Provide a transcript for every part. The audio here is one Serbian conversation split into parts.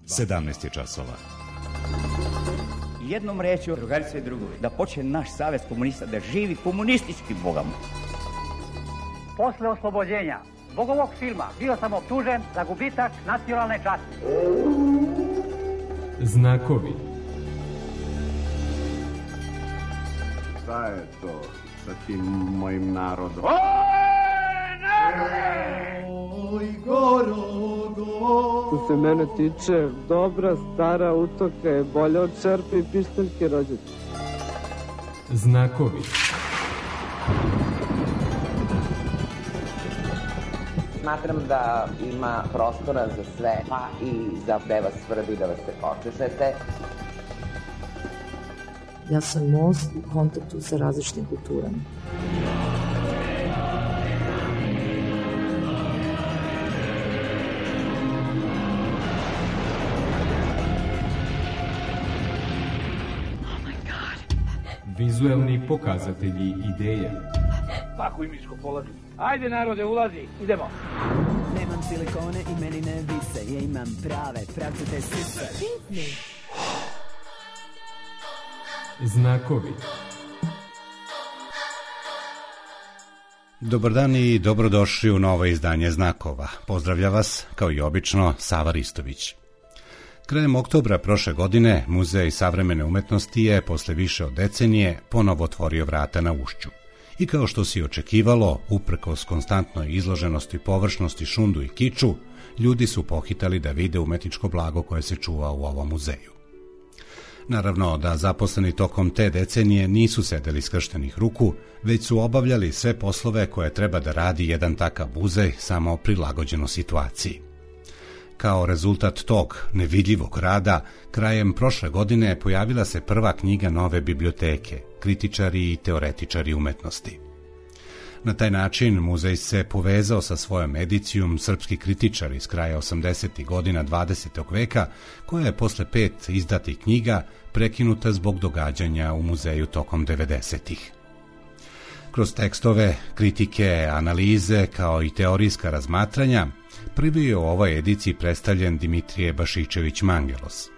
17 je časova. Jednom rečju, drugarice i drugovi, da počne naš savez komunista da živi komunistički bogom. Posle oslobođenja zbog ovog filma bio sam optužen za gubitak nacionalne časti. Znakovi. Šta je to sa tim mojim narodom? Oj, Gorogo! Što se mene tiče, dobra stara utoka je bolja od čerpe i pištaljke rođete. Znakovi. Smatram da ima prostora za sve, pa i za da vas svrbi, da vas se počešete. Ja sam most u kontaktu sa različitim kulturama. Vizuelni pokazatelji ideje. Tako i miško polazi. Ajde narode, ulazi, idemo. Nemam silikone i meni ne vise, ja imam prave, pravcate sise. Znakovi. Dobar dan i dobrodošli u novo izdanje Znakova. Pozdravlja vas, kao i obično, Sava Ristović. Krajem oktobra prošle godine Muzej savremene umetnosti je, posle više od decenije, ponovo otvorio vrata na Ušću. I kao što se očekivalo, uprkos konstantnoj izloženosti površnosti, šundu i kiču, ljudi su pohitali da vide umetničko blago koje se čuva u ovom muzeju. Naravno da zaposleni tokom te decenije nisu sedeli skrštenih ruku, već su obavljali sve poslove koje treba da radi jedan takav muzej, samo prilagođeno situaciji. Kao rezultat tog nevidljivog rada, krajem prošle godine pojavila se prva knjiga nove biblioteke, Kritičari i teoretičari umetnosti. Na taj način muzej se povezao sa svojom edicijom Srpski kritičar iz kraja 80. godina 20. veka, koja je posle 5 izdatih knjiga prekinuta zbog događanja u muzeju tokom 90-ih. Kroz tekstove, kritike, analize, kao i teorijska razmatranja, prvi je u ovoj ediciji predstavljen Dimitrije Bašičević Mangelos.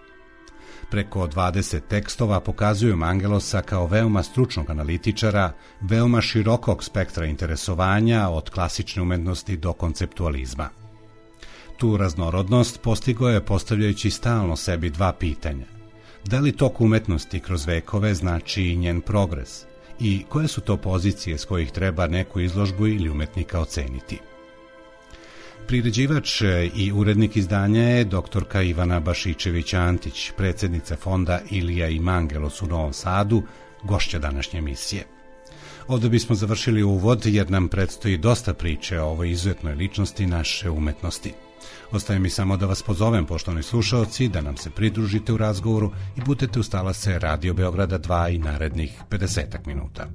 Preko 20 tekstova pokazuju Mangelosa kao veoma stručnog analitičara, veoma širokog spektra interesovanja od klasične umetnosti do konceptualizma. Tu raznorodnost postigao je postavljajući stalno sebi dva pitanja. Da li tok umetnosti kroz vekove znači i njen progres? I koje su to pozicije s kojih treba neku izložbu ili umetnika oceniti? Priređivač i urednik izdanja je doktorka Ivana Bašičević-Antić, predsjednica fonda Ilija i Mangelos u Novom Sadu, gošća današnje emisije. Ovdje bismo završili uvod jer nam predstoji dosta priče o ovoj izuzetnoj ličnosti naše umetnosti. Ostaje mi samo da vas pozovem, poštovani slušaoci, da nam se pridružite u razgovoru i budete uz talase Radio Beograda 2 i narednih 50 minuta.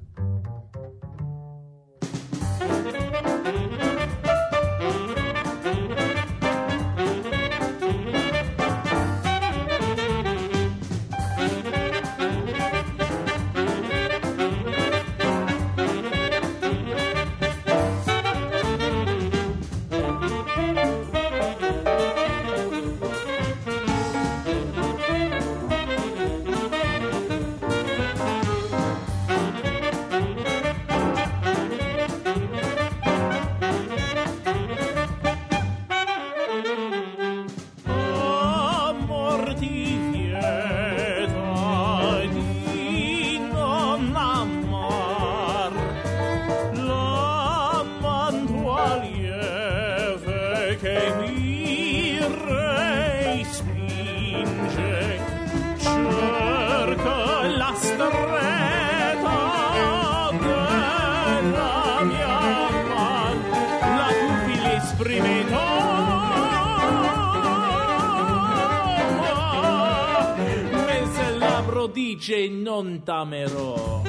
Dice non tamerò.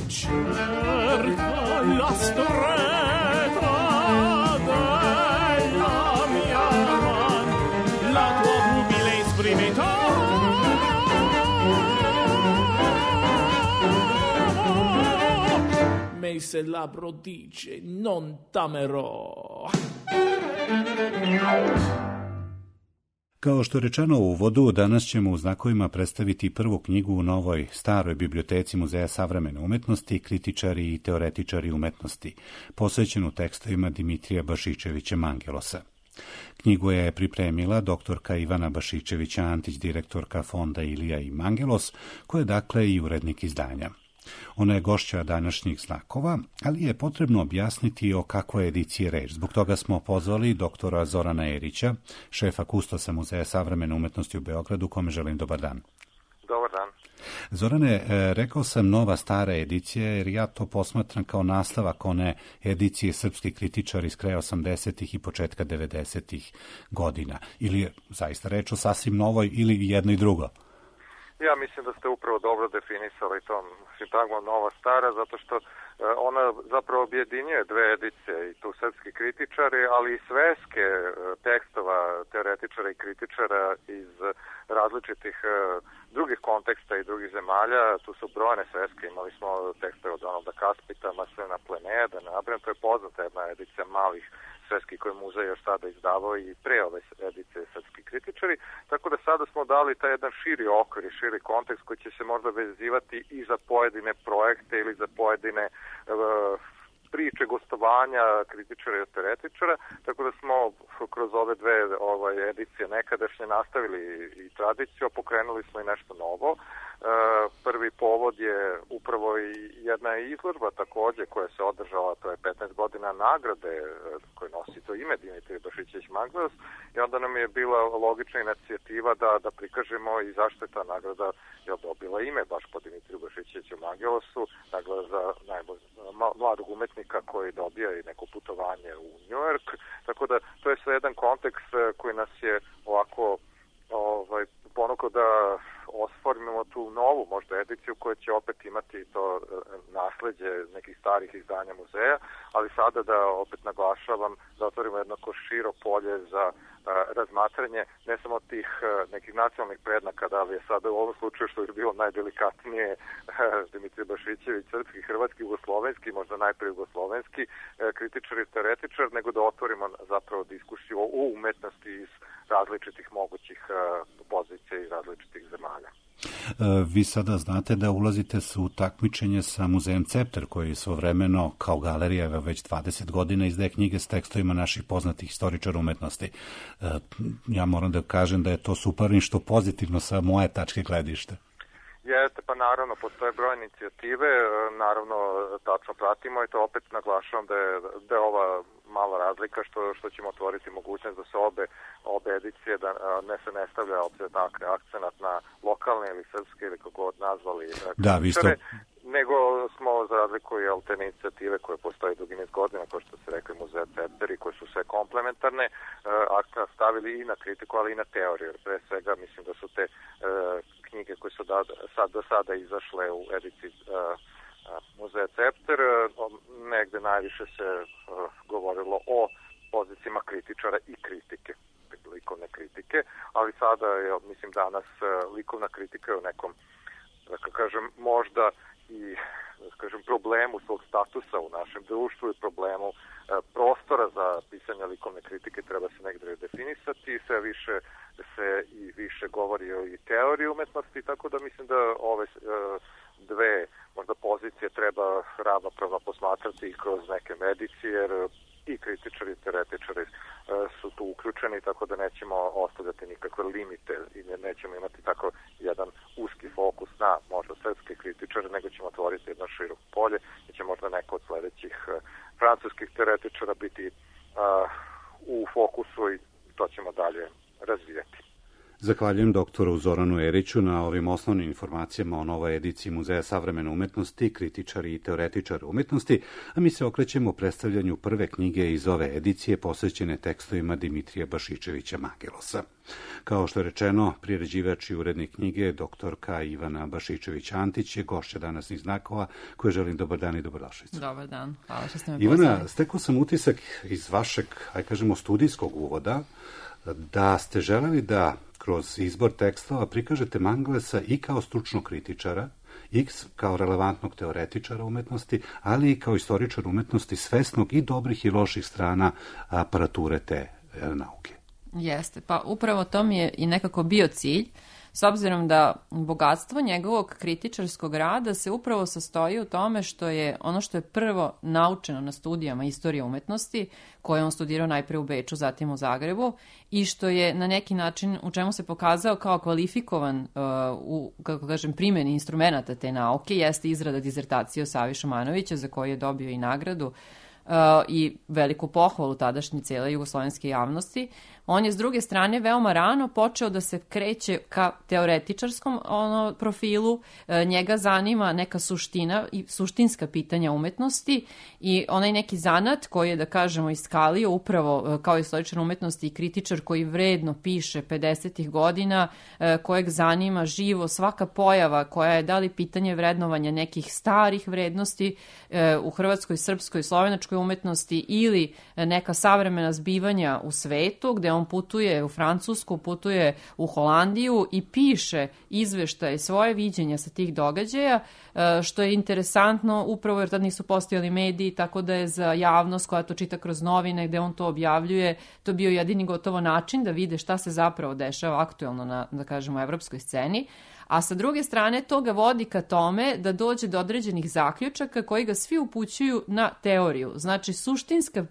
cerca la stretta della mia man, la tua umile esprimità. Me se labbro dice non t'amerò. Kao što je rečeno u uvodu, danas ćemo u znakovima predstaviti prvu knjigu u novoj staroj biblioteci Muzeja savremene umetnosti, kritičari i teoretičari umetnosti, posvećenu tekstovima Dimitrija Bašićevića Mangelosa. Knjigu je pripremila doktorka Ivana Bašićevića-Antić, direktorka fonda Ilija i Mangelos, koja je dakle i urednik izdanja. Ona je gošća današnjih znakova, ali je potrebno objasniti o kakvoj ediciji je reč. Zbog toga smo pozvali doktora Zorana Erića, šefa kustosa Muzeja savremene umetnosti u Beogradu, kome želim dobar dan. Dobar dan. Zorane, rekao sam nova stara edicija, jer ja to posmatram kao nastavak one edicije Srpski kritičar iz kraja 80. i početka 90. godina. Ili je zaista reč o sasvim novoj ili jedno i drugo? Ja mislim da ste upravo dobro definisali tom sintagmom nova stara, zato što ona zapravo objedinjuje dve edicije, i tu srpski kritičari, ali i sveske tekstova teoretičara i kritičara iz različitih drugih konteksta i drugih zemalja. Tu su brojne sveske, imali smo tekstove od Donalda Kaspita, Marcelina Plenea, da ne nabrajam, to je poznata jedna edicija malih sveski koje muzej još sada izdavao i pre ove edicije srpski kritičari, tako da sada smo dali taj jedan širi okvir i širi kontekst koji će se možda vezivati i za pojedine projekte ili za pojedine priče, gostovanja kritičara i teoretičara, tako da smo kroz ove dve edicije nekadašnje nastavili i tradiciju, a pokrenuli smo i nešto novo. Prvi povod je upravo i jedna izložba takođe koja se održala, to je 15 godina nagrade koje nosi to ime Dimitrij Bašićević Mangelos, i onda nam je bila logična inicijativa da prikažemo i zašto je ta nagrada dobila ime baš po Dimitriju Bašićeviću Mangelosu, nagrada za mladog umetnika koji dobija i neko putovanje u New York, tako da to je sve jedan kontekst koji nas je ovako ponukao da osformimo tu novu možda ediciju koja će opet imati to nasleđe nekih starih izdanja muzeja, ali sada da opet naglašavam da otvorimo jednako širo polje za razmatranje ne samo tih nekih nacionalnih prednaka, da li je sada u ovom slučaju što je bilo najdelikatnije Dimitrij Bašićević, srpski, hrvatski, jugoslovenski, možda najpre jugoslovenski kritičar i teoretičar, nego da otvorimo zapravo diskusiju o umetnosti iz različitih mogućih pozicija i različitih zemalja. Vi sada znate da ulazite u takmičenje sa muzejem Cepter, koji svojevremeno kao galerija već 20 godina izdaje knjige s tekstovima naših poznatih istoričara umetnosti. Ja moram da kažem da je to super nešto pozitivno sa moje tačke gledišta. Jeste, pa naravno, postoje broj inicijative, naravno tačno pratimo i to opet naglašavam da je ova mala razlika što ćemo otvoriti mogućnost da se obe edicije, da ne stavlja akcenat na lokalne ili srpske ili kako god nazvali kritičare, nego smo za razliku i te inicijative koje postoje dugi niz godina, kao što se rekli Muzeja Cepter, koji su sve komplementarne, akcenat stavili i na kritiku, ali i na teoriju, jer pre svega mislim da su te knjige koje su do sada izašle u ediciji Muzeja Cepter, negde najviše se govorilo o pozicijama kritičara i kritike, likovne kritike, ali sada je, mislim, danas likovna kritika je u nekom, da kažem, možda i problemu svog statusa u našem društvu i problemu prostora za pisanje likovne kritike treba se negdje definisati, sve više se i više govori o i teoriji umetnosti, tako da mislim da ove dve možda pozicije treba ravnopravno posmatrati i kroz neke medicije, jer i kritičari i teoretičari su tu uključeni, tako da nećemo ostavljati nikakve limite i nećemo imati tako jedan uski fokus na možda srpske kritičare, nego ćemo otvoriti jedno široko polje i će možda neko od sledećih francuskih teoretičara biti u fokusu i to ćemo dalje razvijati. Zahvaljujem doktoru Zoranu Eriću na ovim osnovnim informacijama o novoj ediciji Muzeja savremene umetnosti, kritičari i teoretičari umetnosti, a mi se okrećemo predstavljanju prve knjige iz ove edicije posvećene tekstovima Dimitrija Bašičevića Mangelosa. Kao što je rečeno, priređivač i urednik knjige, doktorka Ivana Bašičević-Antić je gošća Danasnih znakova, koje želim dobar dan i dobrodošlicu. Dobar dan, hvala što ste me pozvali. Ivana, stekao sam utisak iz vašeg, kažemo, studijskog uvoda, da ste želeli da kroz izbor tekstova prikažete Mangelsa i kao stručnog kritičara, i kao relevantnog teoretičara umetnosti, ali i kao istoričar umetnosti svesnog i dobrih i loših strana aparature te nauke. Jeste, pa upravo to mi je i nekako bio cilj, s obzirom da bogatstvo njegovog kritičarskog rada se upravo sastoji u tome što je ono što je prvo naučeno na studijama istorije umetnosti, koje on studirao najpre u Beču, zatim u Zagrebu, i što je na neki način u čemu se pokazao kao kvalifikovan u, kako kažem, primjeni instrumenta te nauke, jeste izrada dizertacije o Savi Šumanovića, za koju je dobio i nagradu i veliku pohvalu tadašnje cijele jugoslovenske javnosti. On je s druge strane veoma rano počeo da se kreće ka teoretičarskom profilu, njega zanima neka suština i suštinska pitanja umetnosti i onaj neki zanat koji je, da kažemo, iskalio upravo kao istoričar umetnosti i kritičar koji vredno piše 50. godina, kojeg zanima živo svaka pojava koja je da li pitanje vrednovanja nekih starih vrednosti u hrvatskoj, srpskoj, slovenačkoj umetnosti ili neka savremena zbivanja u svetu, gde on putuje u Francusku, putuje u Holandiju i piše izveštaje, svoje viđenja sa tih događaja, što je interesantno upravo jer tad nisu postojali mediji, tako da je za javnost koja to čita kroz novine gde on to objavljuje, to bio jedini gotovo način da vide šta se zapravo dešava aktuelno na, da kažemo, evropskoj sceni. A sa druge strane to ga vodi ka tome da dođe do određenih zaključaka koji ga svi upućuju na teoriju. Znači,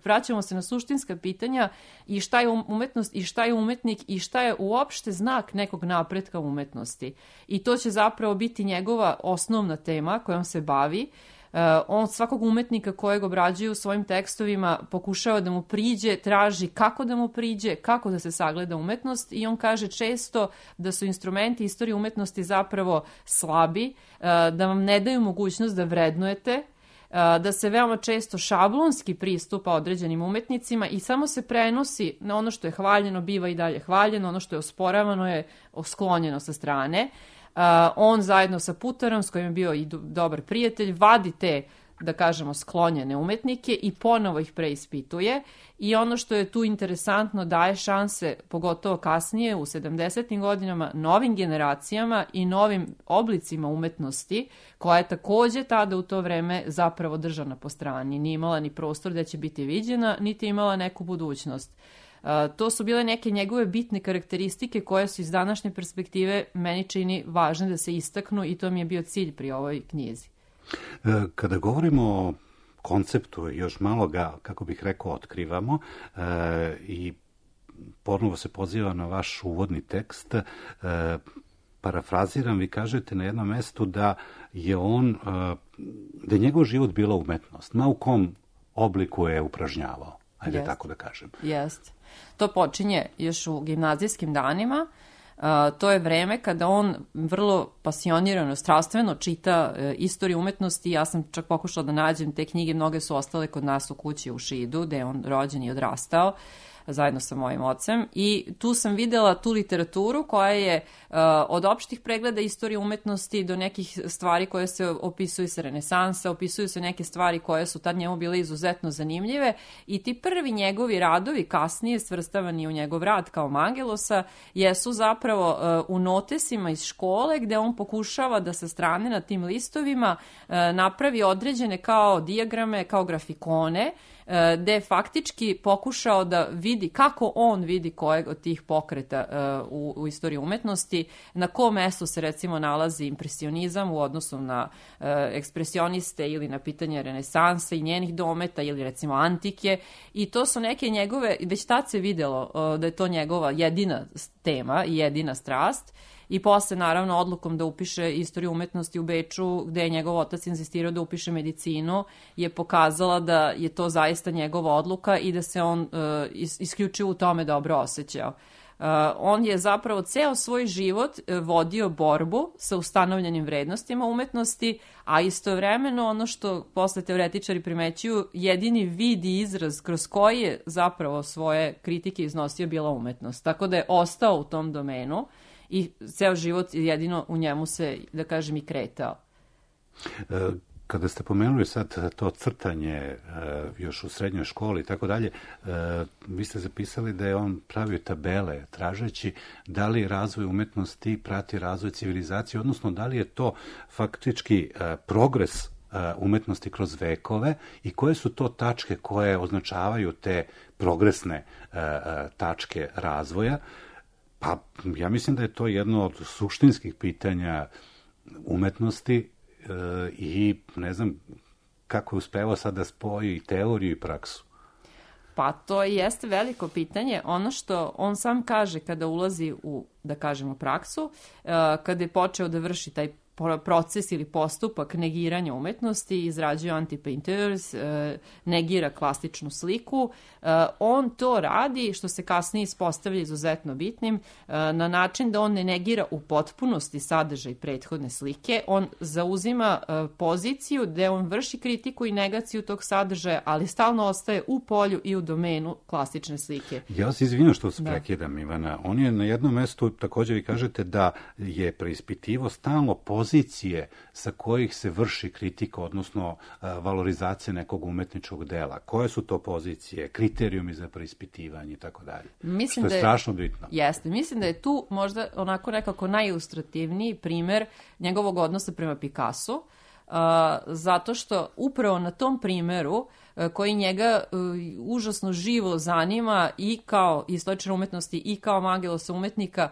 vraćamo se na suštinska pitanja i šta je umetnost i šta je umetnik i šta je uopšte znak nekog napretka umetnosti. I to će zapravo biti njegova osnovna tema kojom se bavi. On svakog umetnika kojeg obrađuje u svojim tekstovima pokušava da mu priđe, traži kako da mu priđe, kako da se sagleda umetnost i on kaže često da su instrumenti istorije umetnosti zapravo slabi, da vam ne daju mogućnost da vrednujete, da se veoma često šablonski pristupa određenim umetnicima i samo se prenosi na ono što je hvaljeno, biva i dalje hvaljeno, ono što je osporavano je sklonjeno sa strane. On zajedno sa Putarom, s kojim je bio i dobar prijatelj, vadi te, da kažemo, sklonjene umetnike i ponovo ih preispituje i ono što je tu interesantno daje šanse, pogotovo kasnije u 70. godinama, novim generacijama i novim oblicima umetnosti, koja je takođe tada u to vreme zapravo držana po strani. Nije imala ni prostor da će biti viđena, niti imala neku budućnost. To su bile neke njegove bitne karakteristike koje su iz današnje perspektive meni čini važne da se istaknu i to mi je bio cilj pri ovoj knjizi. Kada govorimo o konceptu, još malo ga, kako bih rekao, otkrivamo i ponovo se poziva na vaš uvodni tekst, parafraziram, vi kažete na jednom mestu da je da je njegov život bila umetnost, ma u kom obliku je upražnjavao, ajde tako da kažem. Jeste. To počinje još u gimnazijskim danima. To je vreme kada on vrlo pasionirano, strastveno čita istoriju umetnosti. Ja sam čak pokušala da nađem te knjige, mnoge su ostale kod nas u kući u Šidu, gde je on rođen i odrastao zajedno sa mojim ocem i tu sam videla tu literaturu koja je od opštih pregleda istorije umetnosti do nekih stvari koje se opisuju sa renesansa, opisuju se neke stvari koje su tad njemu bile izuzetno zanimljive i ti prvi njegovi radovi, kasnije svrstavani u njegov rad kao Mangelosa, jesu zapravo u notesima iz škole gde on pokušava da sa strane na tim listovima napravi određene kao dijagrame, kao grafikone, gde je faktički pokušao da vidi kako on vidi kojeg od tih pokreta u istoriji umetnosti, na kom mestu se recimo nalazi impresionizam u odnosu na ekspresioniste ili na pitanje renesanse i njenih dometa ili recimo antike i to su neke njegove, već tad se videlo da je to njegova jedina tema i jedina strast. I posle, naravno, odlukom da upiše istoriju umetnosti u Beču, gde je njegov otac insistirao da upiše medicinu, je pokazala da je to zaista njegova odluka i da se on isključivo u tome dobro osjećao. On je zapravo ceo svoj život vodio borbu sa ustanovljenim vrednostima umetnosti, a istovremeno ono što posle teoretičari primećuju, jedini vid i izraz kroz koji je zapravo svoje kritike iznosio bila umetnost. Tako da je ostao u tom domenu i ceo život jedino u njemu se, da kažem, i kretao. Kada ste pomenuli sad to crtanje još u srednjoj školi i tako dalje, vi ste zapisali da je on pravio tabele tražeći da li razvoj umetnosti prati razvoj civilizacije, odnosno da li je to faktički progres umetnosti kroz vekove i koje su to tačke koje označavaju te progresne tačke razvoja. Pa ja mislim da je to jedno od suštinskih pitanja umetnosti i ne znam kako je uspevao sad da spoji i teoriju i praksu. Pa to jeste veliko pitanje. Ono što on sam kaže kada ulazi u, da kažemo, praksu, kada je počeo da vrši taj proces ili postupak negiranja umetnosti, izrađuje anti-painters, negira klasičnu sliku. On to radi, što se kasnije ispostavlja izuzetno bitnim, na način da on ne negira u potpunosti sadržaj prethodne slike. On zauzima poziciju gde on vrši kritiku i negaciju tog sadržaja, ali stalno ostaje u polju i u domenu klasične slike. Ja se izvinjam što se prekidam, Ivana. On je na jednom mestu, također vi kažete, da je preispitivo stalno pozicije sa kojih se vrši kritika, odnosno valorizacija nekog umetničkog dela. Koje su to pozicije, kriterijumi za preispitivanje i tako dalje? Što je strašno bitno. Jeste. Mislim da je tu možda onako nekako najilustrativniji primer njegovog odnosa prema Picassu, zato što upravo na tom primeru koji njega užasno živo zanima i kao istoričar umetnosti i kao Mangelosa umetnika,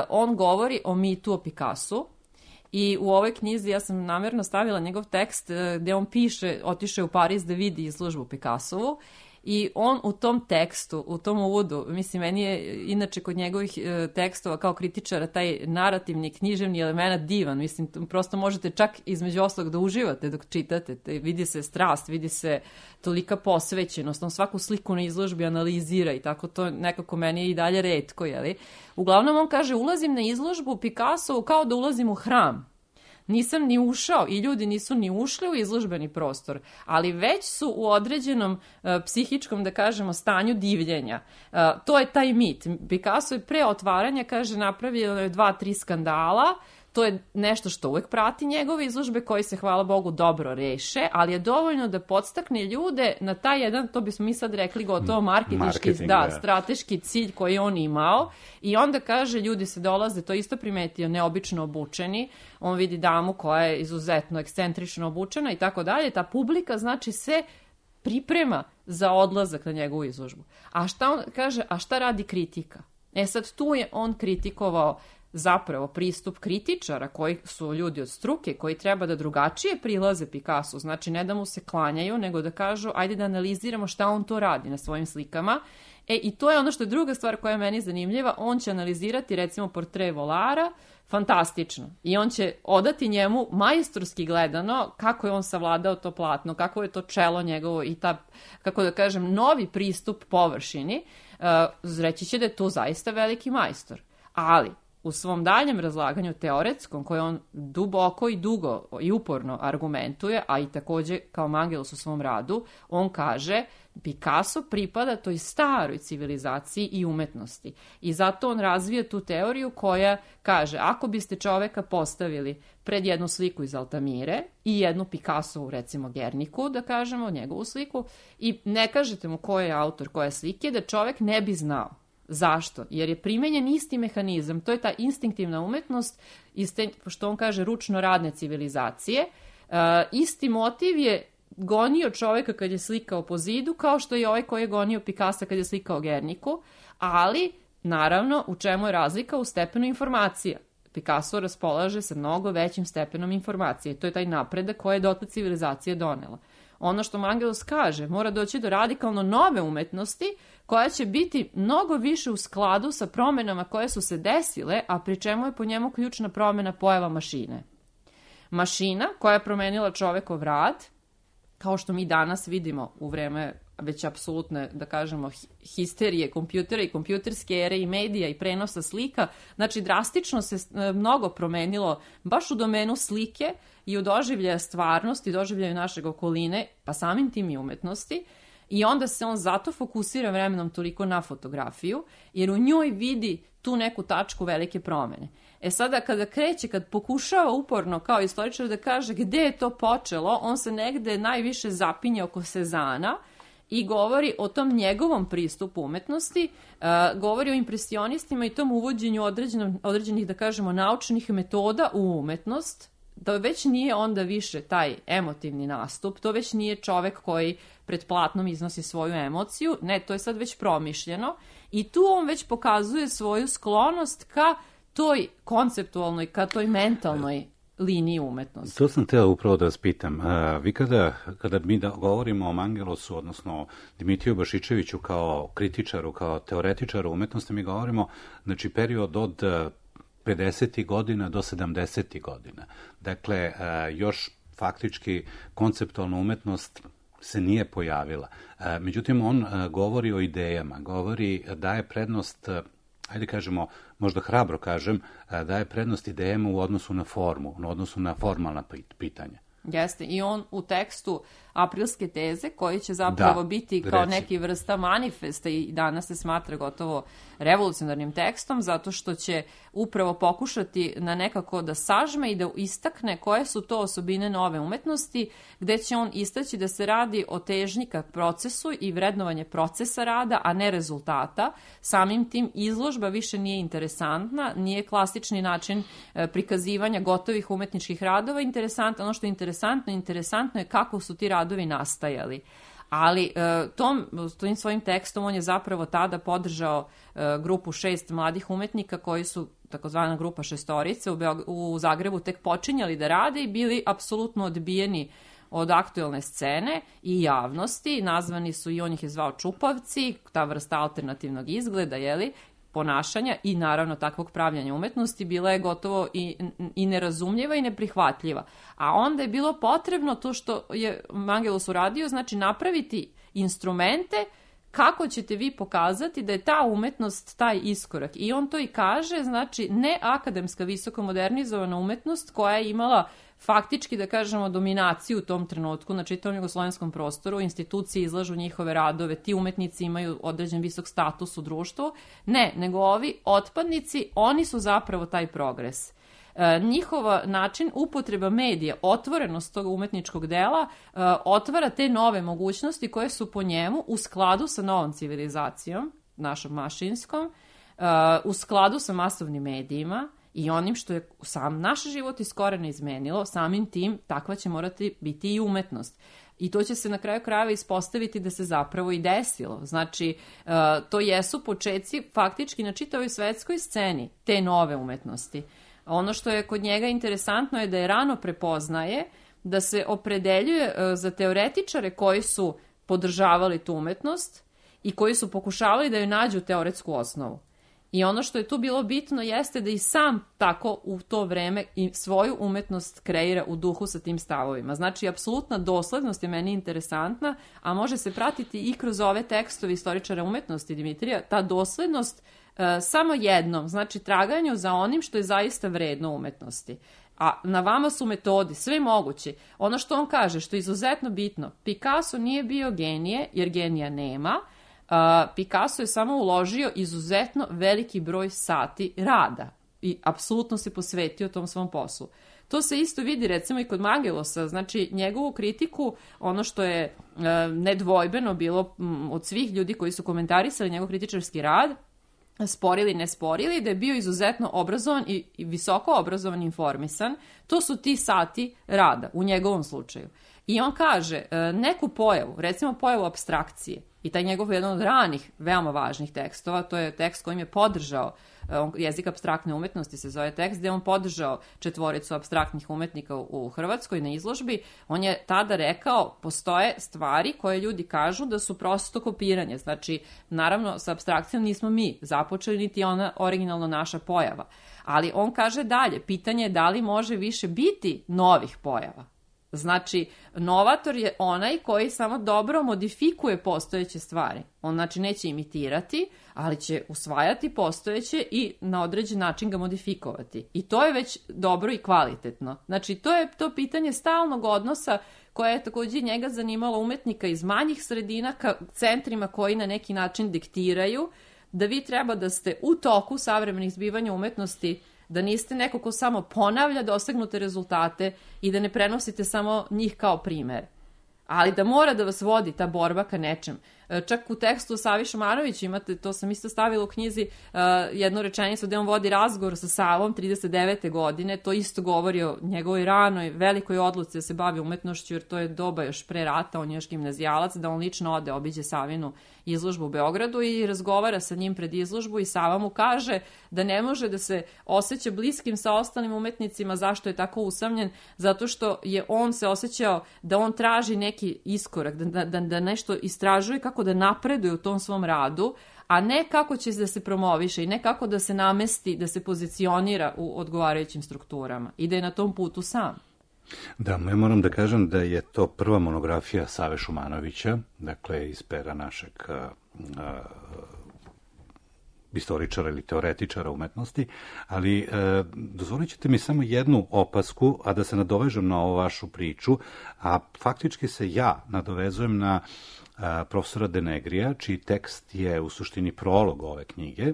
on govori o mitu o Picassu. I u ovoj knjizi ja sam namjerno stavila njegov tekst gde on piše, otišao u Pariz da vidi izložbu Picassovu i on u tom tekstu, u tom uvodu, mislim, meni je inače kod njegovih tekstova kao kritičara taj narativni, književni element divan, mislim, prosto možete čak između ostalog da uživate dok čitate, vidi se strast, vidi se tolika posvećenost, on svaku sliku na izložbi analizira i tako to nekako meni je i dalje retko, jeli? Uglavnom on kaže, ulazim na izložbu Picassovu kao da ulazim u hram. Nisam ni ušao i ljudi nisu ni ušli u izložbeni prostor, ali već su u određenom psihičkom, da kažemo, stanju divljenja. To je taj mit. Picasso je pre otvaranja, kaže, napravio je 2-3 skandala. To je nešto što uvek prati njegove izložbe koji se, hvala Bogu, dobro reše, ali je dovoljno da podstakne ljude na taj jedan, to bismo mi sad rekli gotovo marketinški, strateški cilj koji on imao. I onda kaže, ljudi se dolaze, to isto primetio, neobično obučeni. On vidi damu koja je izuzetno ekscentrično obučena i tako dalje. Ta publika, znači, se priprema za odlazak na njegovu izložbu. A šta on kaže, a šta radi kritika? Sad tu je on kritikovao zapravo pristup kritičara koji su ljudi od struke, koji treba da drugačije prilaze Picassu, znači ne da mu se klanjaju, nego da kažu ajde da analiziramo šta on to radi na svojim slikama. I to je ono što je druga stvar koja je meni zanimljiva, on će analizirati recimo portret Volara, fantastično, i on će odati njemu majstorski gledano kako je on savladao to platno, kako je to čelo njegovo i ta, kako da kažem, novi pristup površini, reći će da je to zaista veliki majstor. Ali u svom daljem razlaganju teoretskom, koje on duboko i dugo i uporno argumentuje, a i takođe kao Mangelos u svom radu, on kaže Picasso pripada toj staroj civilizaciji i umetnosti. I zato on razvija tu teoriju koja kaže, ako biste čoveka postavili pred jednu sliku iz Altamire i jednu Picassovu, recimo Gerniku, da kažemo, njegovu sliku, i ne kažete mu ko je autor koje slike, da čovek ne bi znao. Zašto? Jer je primenjen isti mehanizam, to je ta instinktivna umetnost, što on kaže, ručno radne civilizacije. Isti motiv je gonio čoveka kad je slikao po zidu, kao što je ovaj koji je gonio Picassa kad je slikao Gerniku, ali, naravno, u čemu je razlika? U stepenu informacija. Picasso raspolaže sa mnogo većim stepenom informacije. To je taj napredak koje je dotle civilizacija donela. Ono što Mangelos kaže, mora doći do radikalno nove umetnosti koja će biti mnogo više u skladu sa promenama koje su se desile, a pri čemu je po njemu ključna promena pojava mašine. Mašina koja je promenila čovekov rad, kao što mi danas vidimo u vreme već apsolutne, da kažemo, histerije kompjutera i kompjuterske ere i medija i prenosa slika. Znači, drastično se mnogo promenilo baš u domenu slike i u doživljaja stvarnosti, doživljaju našeg okoline, pa samim tim i umetnosti. I onda se on zato fokusira vremenom toliko na fotografiju, jer u njoj vidi tu neku tačku velike promene. Sada kada kreće, kad pokušava uporno kao istoričar da kaže gde je to počelo, on se negde najviše zapinje oko Sezana i govori o tom njegovom pristupu umetnosti, govori o impresionistima i tom uvođenju određenih, da kažemo, naučnih metoda u umetnost, da već nije onda više taj emotivni nastup, to već nije čovek koji pred platnom iznosi svoju emociju, ne, to je sad već promišljeno i tu on već pokazuje svoju sklonost ka toj konceptualnoj, ka toj mentalnoj liniji umetnosti. To sam teo upravo da vas pitam. Vi kada mi govorimo o Mangelosu, odnosno Dimitriju Bašičeviću kao kritičaru, kao teoretičaru umetnosti, mi govorimo, znači, period od 50. godina do 70. godina. Dakle, još faktički konceptualna umetnost se nije pojavila. Međutim, on govori o idejama, daje prednost, ajde kažemo, možda hrabro kažem, daje prednost idejama u odnosu na formu, u odnosu na formalna pitanja. Jeste, i on u tekstu Aprilske teze, koji će zapravo biti kao neki vrsta manifesta i danas se smatra gotovo revolucionarnim tekstom, zato što će upravo pokušati na nekako da sažme i da istakne koje su to osobine nove umetnosti, gde će on istaći da se radi o težnji ka procesu i vrednovanje procesa rada, a ne rezultata. Samim tim izložba više nije interesantna, nije klasični način prikazivanja gotovih umetničkih radova interesantno. Ono što je interesantno je kako su ti radovi nastajali. Ali tim svojim tekstom on je zapravo tada podržao grupu 6 mladih umetnika koji su, takozvana grupa šestorice, u Zagrebu tek počinjali da rade i bili apsolutno odbijeni od aktuelne scene i javnosti. Nazvani su, i on ih je zvao čupavci, ta vrsta alternativnog izgleda, ponašanja i naravno takvog pravljanja umetnosti bila je gotovo i nerazumljiva i neprihvatljiva. A onda je bilo potrebno to što je Mangelos uradio, znači napraviti instrumente kako ćete vi pokazati da je ta umetnost taj iskorak. I on to i kaže, znači ne akademska visoko modernizovana umetnost koja je imala faktički, da kažemo, dominaciju u tom trenutku na čitavom jugoslovenskom prostoru, institucije izlažu njihove radove, ti umetnici imaju određen visok status u društvu. Ne, nego ovi otpadnici, oni su zapravo taj progres. Njihova način upotreba medija, otvorenost tog umetničkog dela, otvara te nove mogućnosti koje su po njemu u skladu sa novom civilizacijom, našom mašinskom, u skladu sa masovnim medijima i onim što je sam naš život iz korena izmenilo, samim tim takva će morati biti i umetnost. I to će se na kraju krajeva ispostaviti da se zapravo i desilo. Znači, to jesu počeci faktički na čitavoj svetskoj sceni te nove umetnosti. Ono što je kod njega interesantno je da je rano prepoznaje da se opredeljuje za teoretičare koji su podržavali tu umetnost i koji su pokušavali da joj nađu teoretsku osnovu. I ono što je tu bilo bitno jeste da i sam tako u to vreme i svoju umetnost kreira u duhu sa tim stavovima. Znači, apsolutna doslednost je meni interesantna, a može se pratiti i kroz ove tekstove istoričara umetnosti Dimitrija, ta doslednost samo jednom, znači traganju za onim što je zaista vredno umetnosti. A na vama su metodi, sve moguće. Ono što on kaže, što je izuzetno bitno, Picasso nije bio genije, jer genija nema. Picasso je samo uložio izuzetno veliki broj sati rada i apsolutno se posvetio tom svom poslu. To se isto vidi recimo i kod Mangelosa, znači njegovu kritiku, ono što je nedvojbeno bilo od svih ljudi koji su komentarisali njegov kritičarski rad, sporili, ne sporili, da je bio izuzetno obrazovan i visoko obrazovan, informisan. To su ti sati rada u njegovom slučaju. I on kaže, neku pojavu, recimo pojavu apstrakcije, i taj njegov jedan od ranih, veoma važnih tekstova, to je tekst kojim je podržao, jezik apstraktne umetnosti se zove tekst, gde je on podržao četvoricu apstraktnih umetnika u Hrvatskoj na izložbi. On je tada rekao, postoje stvari koje ljudi kažu da su prosto kopiranje. Znači, naravno, sa apstrakcijom nismo mi započeli, niti ona originalno naša pojava. Ali on kaže dalje, pitanje je da li može više biti novih pojava. Znači, novator je onaj koji samo dobro modifikuje postojeće stvari. On znači neće imitirati, ali će usvajati postojeće i na određen način ga modifikovati. I to je već dobro i kvalitetno. Znači, to je to pitanje stalnog odnosa koje je također njega zanimalo umetnika iz manjih sredina ka centrima koji na neki način diktiraju da vi treba da ste u toku savremenih zbivanja umetnosti, da niste neko ko samo ponavlja dosegnute rezultate i da ne prenosite samo njih kao primer. Ali da mora da vas vodi ta borba ka nečem. Čak u tekstu Savi Šumanović imate, to sam isto stavila u knjizi, jednu rečenicu gde on vodi razgovor sa Savom 39. godine, to isto govori o njegovoj ranoj velikoj odluci da se bavi umetnošću, jer to je doba još pre rata, on je još gimnazijalac, da on lično ode, obiđe Savinu izložbu u Beogradu i razgovara sa njim pred izložbu i Sava mu kaže da ne može da se osjeća bliskim sa ostalim umetnicima. Zašto je tako usamljen? Zato što je on se osjećao da on traži neki iskorak, da nešto istražuje kako da napreduje u tom svom radu, a ne kako će da se promoviše i ne kako da se namesti, da se pozicionira u odgovarajućim strukturama i da je na tom putu sam. Da, ja moram da kažem da je to prva monografija Save Šumanovića, dakle iz pera našeg istoričara ili teoretičara umetnosti, ali dozvolit ćete mi samo jednu opasku, a da se nadovežem na ovu vašu priču, a faktički se ja nadovezujem na profesora Denegrija, čiji tekst je u suštini prolog ove knjige,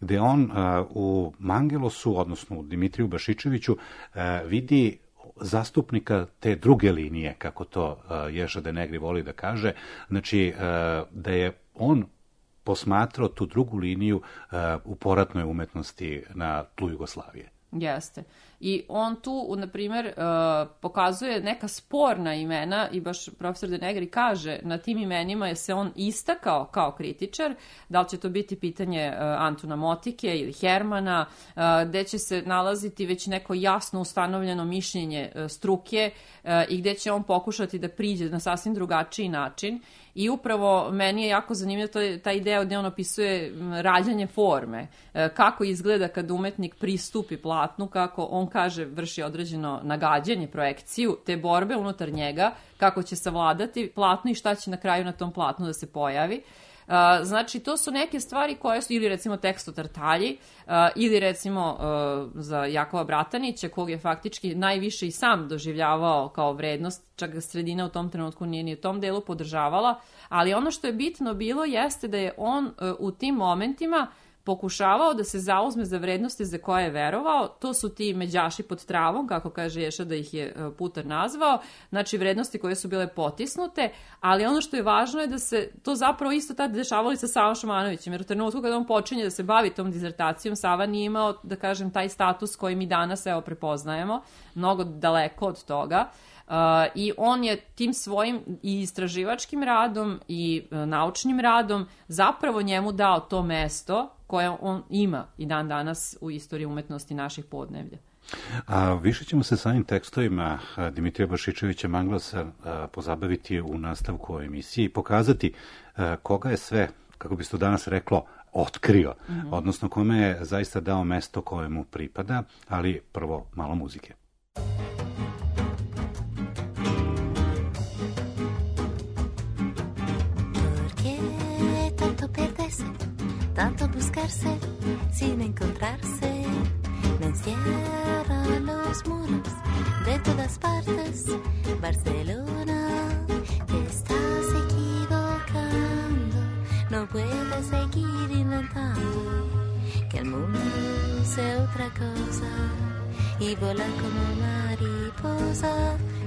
gde on u Mangelosu, odnosno u Dimitriju Bašičeviću, vidi zastupnika te druge linije, kako to Ješa Denegri voli da kaže, znači da je on posmatrao tu drugu liniju u poratnoj umetnosti na tlu Jugoslavije. Jeste. I on tu, na primjer, pokazuje neka sporna imena i baš profesor Denegri kaže na tim imenima je se on istakao kao kritičar, da li će to biti pitanje Antuna Motike ili Hermana, gde će se nalaziti već neko jasno ustanovljeno mišljenje struke i gde će on pokušati da priđe na sasvim drugačiji način. I upravo meni je jako zanimljivo taj idea gde on opisuje rađanje forme, kako izgleda kad umetnik pristupi platnu, kako on kaže vrši određeno nagađanje, projekciju, te borbe unutar njega, kako će savladati platno i šta će na kraju na tom platnu da se pojavi. Znači, to su neke stvari koje su, ili recimo tekst o Tartalji, ili recimo za Jakova Bratanića, kog je faktički najviše i sam doživljavao kao vrednost, čak ga sredina u tom trenutku nije ni u tom delu podržavala, ali ono što je bitno bilo jeste da je on u tim momentima pokušavao da se zauzme za vrednosti za koje je verovao. To su ti međaši pod travom, kako kaže Ješa da ih je Putar nazvao, znači vrednosti koje su bile potisnute, ali ono što je važno je da se to zapravo isto tada dešavalo i sa Savom Šumanovićem, jer u trenutku kada on počinje da se bavi tom dizertacijom, Sava nije imao, da kažem, taj status koji mi danas prepoznajemo, mnogo daleko od toga. I on je tim svojim i istraživačkim radom i naučnim radom zapravo njemu dao to mesto koje on ima i dan danas u istoriji umetnosti naših podneblja. A više ćemo se samim tekstovima Dimitrija Bašičevića Manglasa pozabaviti u nastavku ove emisije i pokazati koga je sve, kako bi se to danas reklo, otkrio, odnosno kome je zaista dao mesto koje mu pripada, ali prvo malo muzike. Tanto buscarse sin encontrarse, me encierran los muros de todas partes. Barcelona, te estás equivocando, no puedes seguir inventando que el mundo sea otra cosa y volar como mariposa.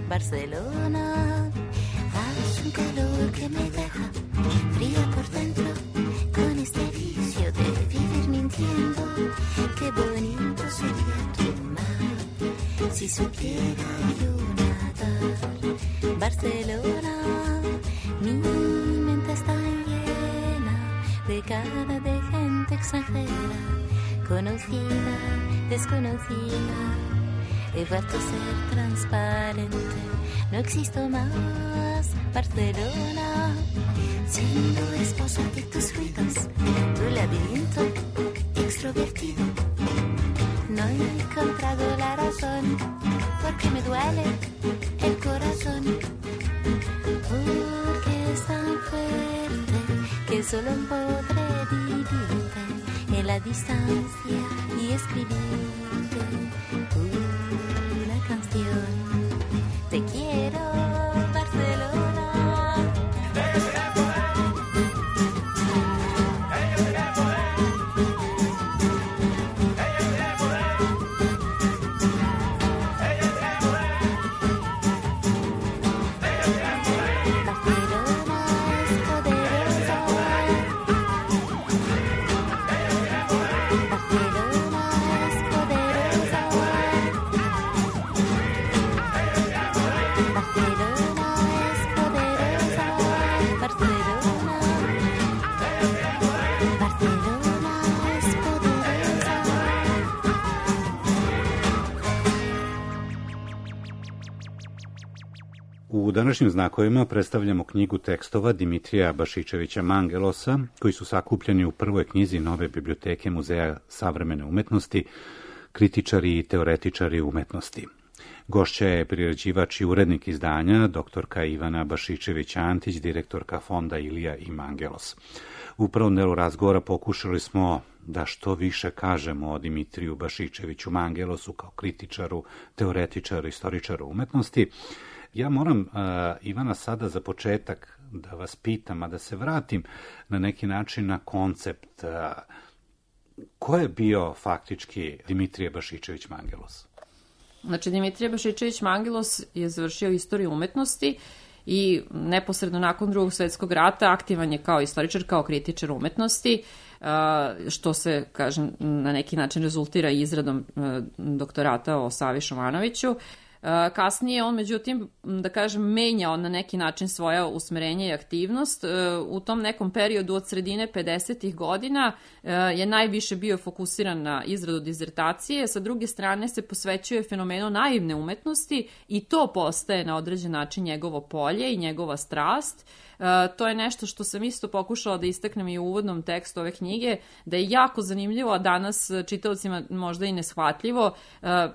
Barcelona, hace un calor que me deja fría por dentro. Con este vicio de vivir mintiendo, qué bonito sería tu mar, si supiera yo nadar. Barcelona, mi mente está llena de cara de gente extranjera, conocida, desconocida. He vuelto a ser transparente, no existo más. Barcelona, siendo esposa de tus ruidos, tu laberinto extrovertido. No he encontrado la razón, porque me duele el corazón, porque es tan fuerte que solo podré vivirte en la distancia y escribirte una canción. Te quiero, Barcelona. U današnjim znakovima predstavljamo knjigu tekstova Dimitrija Bašičevića Mangelosa, koji su sakupljeni u prvoj knjizi nove biblioteke Muzeja savremene umetnosti, kritičari i teoretičari umetnosti. Gošća je priređivač i urednik izdanja, doktorka Ivana Bašičević-Antić, direktorka fonda Ilija i Mangelos. U prvom delu razgovora pokušali smo da što više kažemo o Dimitriju Bašičeviću Mangelosu kao kritičaru, teoretičaru, istoričaru umetnosti. Ja moram, Ivana, sada za početak da vas pitam, a da se vratim na neki način na koncept. Ko je bio faktički Dimitrije Bašičević Mangelos? Znači, Dimitrije Bašičević Mangelos je završio istoriju umetnosti i neposredno nakon Drugog svjetskog rata aktivan je kao istoričar, kao kritičar umetnosti, što se, kažem, na neki način rezultira izradom doktorata o Savi Šumanoviću. Kasnije on, međutim, da kažem, menjao na neki način svoja usmerenja i aktivnost. U tom nekom periodu od sredine 50. godina je najviše bio fokusiran na izradu dizertacije, sa druge strane se posvećuje fenomenu naivne umetnosti i to postaje na određen način njegovo polje i njegova strast. To je nešto što sam isto pokušala da istaknem i u uvodnom tekstu ove knjige, da je jako zanimljivo, a danas čitaocima možda i neshvatljivo,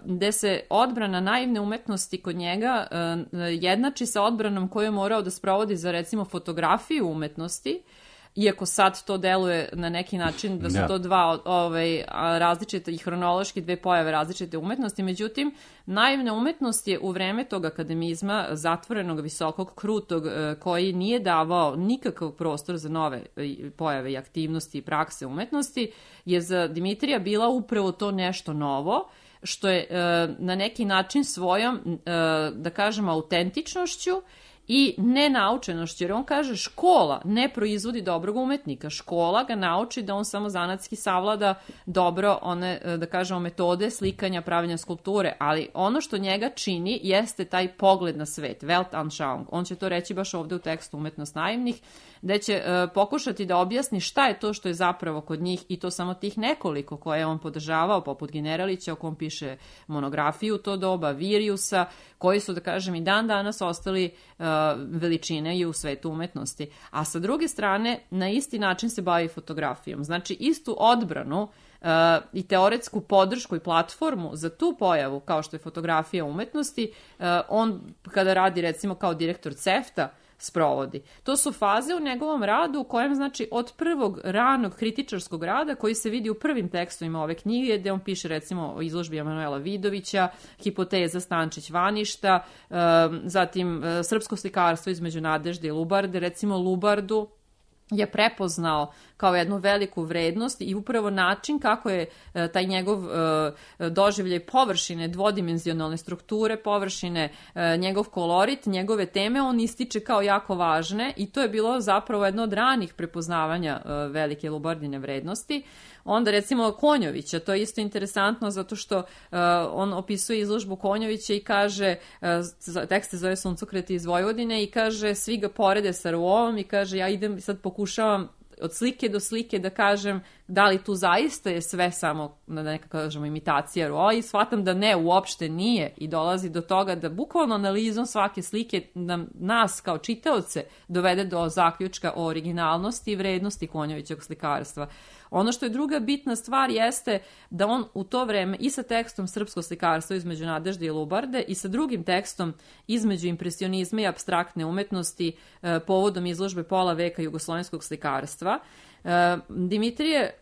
gde se odbrana naivne umetnosti kod njega jednači sa odbranom koju je morao da sprovodi za, recimo, fotografiju umetnosti, iako sad to deluje na neki način da su to dva različite i hronološki dve pojave različite umetnosti, međutim, naivna umetnost je u vreme tog akademizma zatvorenog, visokog, krutog, koji nije davao nikakav prostor za nove pojave i aktivnosti i prakse umetnosti, je za Dimitrija bila upravo to nešto novo, što je na neki način svojom, da kažem, autentičnošću i nenaučenošću, jer on kaže škola ne proizvodi dobrog umetnika, škola ga nauči da on samo zanatski savlada dobro one, da kažemo, metode slikanja, pravljenja skulpture, ali ono što njega čini jeste taj pogled na svet, Weltanschauung. On će to reći baš ovde u tekstu Umetnost naivnih, gde će pokušati da objasni šta je to što je zapravo kod njih, i to samo tih nekoliko koje je on podržavao, poput Generalića, o kom piše monografiju u to doba, Viriusa, koji su, da kažem, i dan danas ostali veličine i u svetu umetnosti. A sa druge strane, na isti način se bavi fotografijom. Znači, istu odbranu i teoretsku podršku i platformu za tu pojavu, kao što je fotografija umetnosti, on, kada radi, recimo, kao direktor CEFTA, sprovodi. To su faze u njegovom radu u kojem, znači, od prvog ranog kritičarskog rada, koji se vidi u prvim tekstovima ove knjige, gde on piše, recimo, o izložbi Emanuela Vidovića, Hipoteza Stančić-Vaništa, zatim srpsko slikarstvo između Nadežde i Lubarde, recimo Lubardu je prepoznao kao jednu veliku vrednost i upravo način kako je taj njegov doživljaj površine, dvodimenzionalne strukture površine, njegov kolorit, njegove teme, on ističe kao jako važne i to je bilo zapravo jedno od ranih prepoznavanja velike Lubardine vrednosti. Onda, recimo, Konjovića, to je isto interesantno zato što on opisuje izložbu Konjovića i kaže, tekst se zove Suncokreti iz Vojvodine, i kaže, svi ga porede sa Rouom i kaže, ja idem sad pokušavam od slike do slike da kažem da li tu zaista je sve samo, da neka kažemo, imitacija roa, i shvatam da ne, uopšte nije, i dolazi do toga da bukvalno analizom svake slike nas kao čitaoce dovede do zaključka o originalnosti i vrednosti Konjovićevog slikarstva. Ono što je druga bitna stvar jeste da on u to vreme i sa tekstom Srpsko slikarstvo između Nadežde i Lubarde i sa drugim tekstom između impresionizma i apstraktne umetnosti povodom izložbe pola veka jugoslovenskog slikarstva, Dimitrije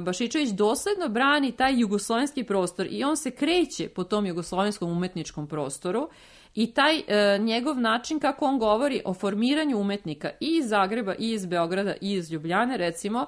Bašičević dosledno brani taj jugoslovenski prostor i on se kreće po tom jugoslovenskom umetničkom prostoru i taj njegov način kako on govori o formiranju umetnika i iz Zagreba i iz Beograda i iz Ljubljane, recimo,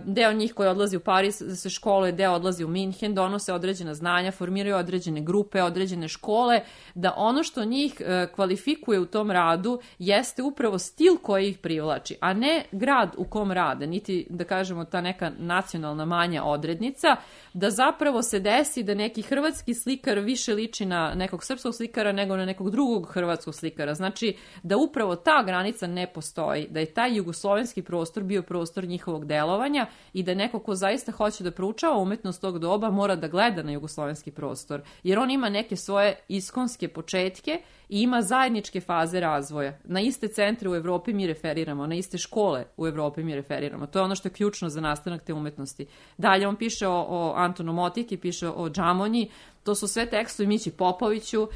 deo njih koji odlazi u Pariz da se školuje, deo odlazi u Minhen, donose određena znanja, formiraju određene grupe, određene škole, da ono što njih kvalifikuje u tom radu jeste upravo stil koji ih privlači, a ne grad u kom rade, niti, da kažemo, ta neka nacionalna manja odrednica, da zapravo se desi da neki hrvatski slikar više liči na nekog srpskog slikara nego na nekog drugog hrvatskog slikara. Znači da upravo ta granica ne postoji, da je taj jugoslovenski prostor bio prostor njihovog delovanja i da neko ko zaista hoće da proučava umetnost tog doba mora da gleda na jugoslovenski prostor, jer on ima neke svoje iskonske početke i ima zajedničke faze razvoja. Na iste centre u Evropi mi referiramo, na iste škole u Evropi mi referiramo. To je ono što je ključno za nastanak te umetnosti. Dalje on piše o Antonu Motiki, piše o Džamonji, to su sve tekstovi Mići Popoviću,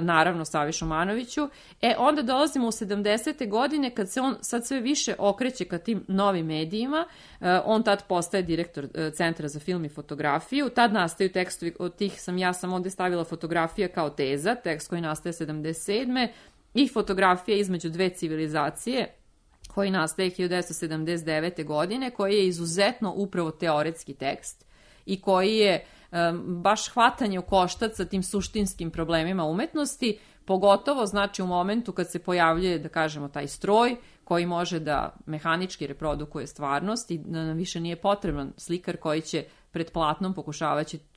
naravno Savi Šumanoviću. Onda dolazimo u 70. godine kad se on sad sve više okreće ka tim novim medijima. On tad postaje direktor Centra za film i fotografiju. Tad nastaju tekstovi, od tih sam ovde stavila Fotografija kao teza, tekst koji nastaje 77. i Fotografija između dve civilizacije, koji nastaje 1979. godine, koji je izuzetno upravo teoretski tekst i koji je baš hvatanje u koštac sa tim suštinskim problemima umetnosti, pogotovo znači u momentu kad se pojavljuje, da kažemo, taj stroj koji može da mehanički reprodukuje stvarnost i da nam više nije potreban slikar koji će pred platnom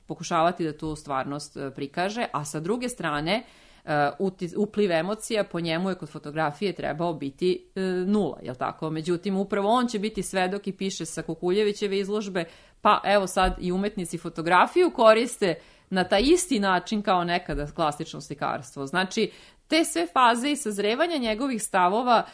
pokušavati da tu stvarnost prikaže, a sa druge strane upliv emocija po njemu je kod fotografije trebao biti nula, jel tako? Međutim, upravo on će biti svedok i piše sa Kukuljevićeve izložbe, pa evo sad i umetnici fotografiju koriste na taj isti način kao nekada klasično slikarstvo. Znači, te sve faze i sazrevanja njegovih stavova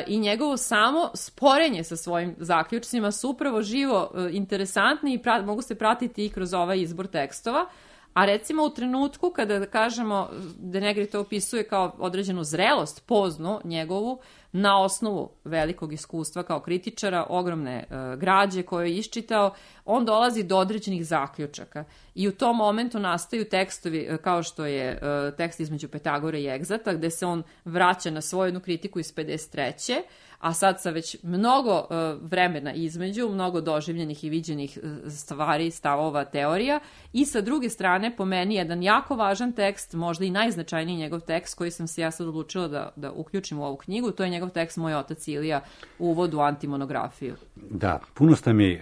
i njegovo samo sporenje sa svojim zaključcima su upravo živo interesantni i mogu se pratiti i kroz ovaj izbor tekstova. A recimo u trenutku kada, da kažemo, De Negri to opisuje kao određenu zrelost poznu njegovu na osnovu velikog iskustva kao kritičara, ogromne građe koje je iščitao, on dolazi do određenih zaključaka. I u tom momentu nastaju tekstovi kao što je tekst između Petagore i Egzata, gde se on vraća na svoju jednu kritiku iz 53. A sad sa već mnogo vremena između, mnogo doživljenih i viđenih stvari, stavova, teorija, i sa druge strane, po meni, jedan jako važan tekst, možda i najznačajniji njegov tekst koji sam se ja sad odlučila da uključim u ovu knjigu, to je njegov tekst Moj otac Ilija u uvodu u antimonografiju. Da, puno ste mi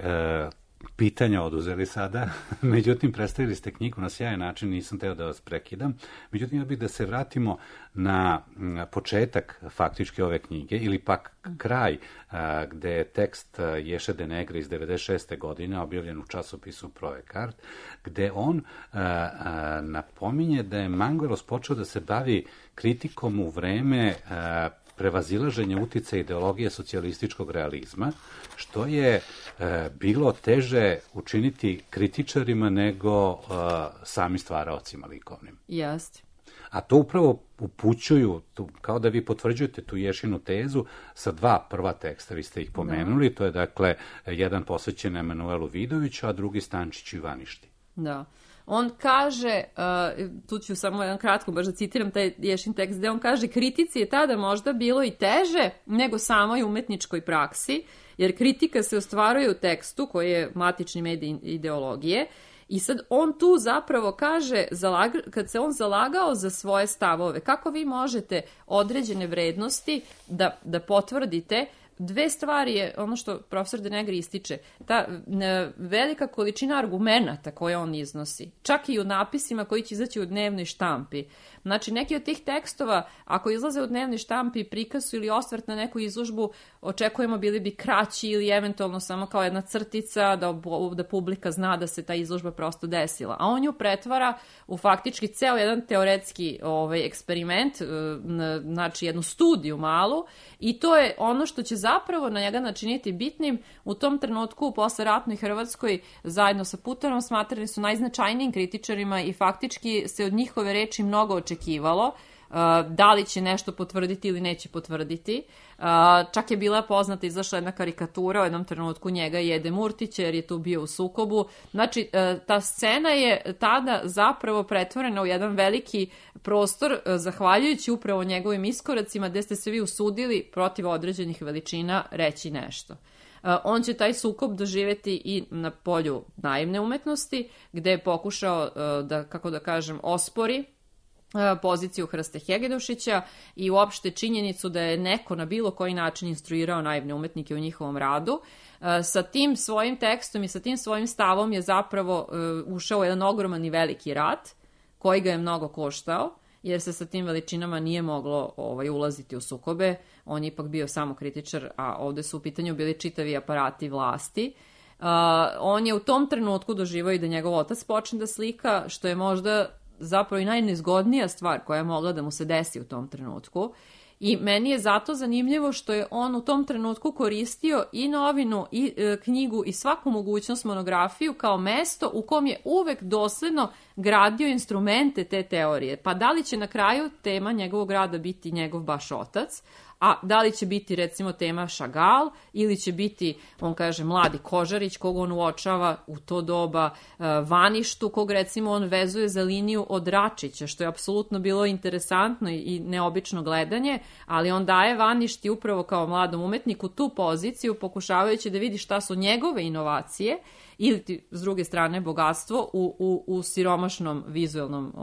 pitanja oduzeli sada, međutim predstavili ste knjigu na sjajan način, nisam teo da vas prekidam, međutim ja bih da se vratimo na početak faktički ove knjige ili pak kraj gde je tekst Ješe De Negri iz 96. godine objavljen u časopisu Provekart, gde on napominje da je Manguelos počeo da se bavi kritikom u vreme prevazilaženja uticaja ideologije socijalističkog realizma, što je bilo teže učiniti kritičarima nego sami stvaraocima likovnim. Jeste. A to upravo upućuju, kao da vi potvrđujete tu Ješinu tezu sa dva prva teksta, vi ste ih pomenuli, da. To je dakle jedan posvećen Emanuelu Vidoviću, a drugi Stančiću Ivaništi. Da. On kaže, tu ću samo jedan kratko baš da citiram taj Ješin tekst, gde on kaže: kritici je tada možda bilo i teže nego samoj umetničkoj praksi, jer kritika se ostvaruje u tekstu koji je matični medij ideologije. I sad on tu zapravo kaže, kad se on zalagao za svoje stavove, kako vi možete određene vrednosti da potvrdite. Dve stvari je ono što profesor De Negri ističe, ta velika količina argumenata koje on iznosi, čak i u napisima koji će izaći u dnevnoj štampi, Znači, neki od tih tekstova, ako izlaze u dnevni štampi i prikazu ili osvrt na neku izložbu, očekujemo bili bi kraći ili eventualno samo kao jedna crtica da publika zna da se ta izložba prosto desila. A on ju pretvara u faktički ceo jedan teoretski eksperiment, znači jednu studiju malu, i to je ono što će zapravo na njega načiniti bitnim. U tom trenutku u posleratnoj Hrvatskoj zajedno sa Putanom smatrani su najznačajnijim kritičarima i faktički se od njihove reči mnogo očekivalo. Da li će nešto potvrditi ili neće potvrditi. Čak je bila poznata, izašla jedna karikatura u jednom trenutku njega i Ede Murtića, jer je tu bio u sukobu. Znači, ta scena je tada zapravo pretvorena u jedan veliki prostor, zahvaljujući upravo njegovim iskoracima, gde ste se vi usudili protiv određenih veličina reći nešto. On će taj sukob doživjeti i na polju naivne umetnosti, gde je pokušao da, kako da kažem, ospori poziciju Hrste Hegedovšića i uopšte činjenicu da je neko na bilo koji način instruirao naivne umetnike u njihovom radu. Sa tim svojim tekstom i sa tim svojim stavom je zapravo ušao u jedan ogroman i veliki rat, koji ga je mnogo koštao, jer se sa tim veličinama nije moglo ulaziti u sukobe. On je ipak bio samo kritičar, a ovde su u pitanju bili čitavi aparati vlasti. On je u tom trenutku doživao i da njegov otac počne da slika, što je možda zapravo i najnezgodnija stvar koja je mogla da mu se desi u tom trenutku. I meni je zato zanimljivo što je on u tom trenutku koristio i novinu, i knjigu, i svaku mogućnost monografiju kao mesto u kom je uvek dosledno gradio instrumente te teorije. Pa da li će na kraju tema njegovog rada biti njegov baš otac, a da li će biti recimo tema Chagall ili će biti, on kaže, mladi Kožarić kog on uočava u to doba, Vaništu kog recimo on vezuje za liniju od Račića, što je apsolutno bilo interesantno i neobično gledanje, ali on daje Vaništi upravo kao mladom umetniku tu poziciju, pokušavajući da vidi šta su njegove inovacije ili s druge strane bogatstvo u siromašnom vizualnom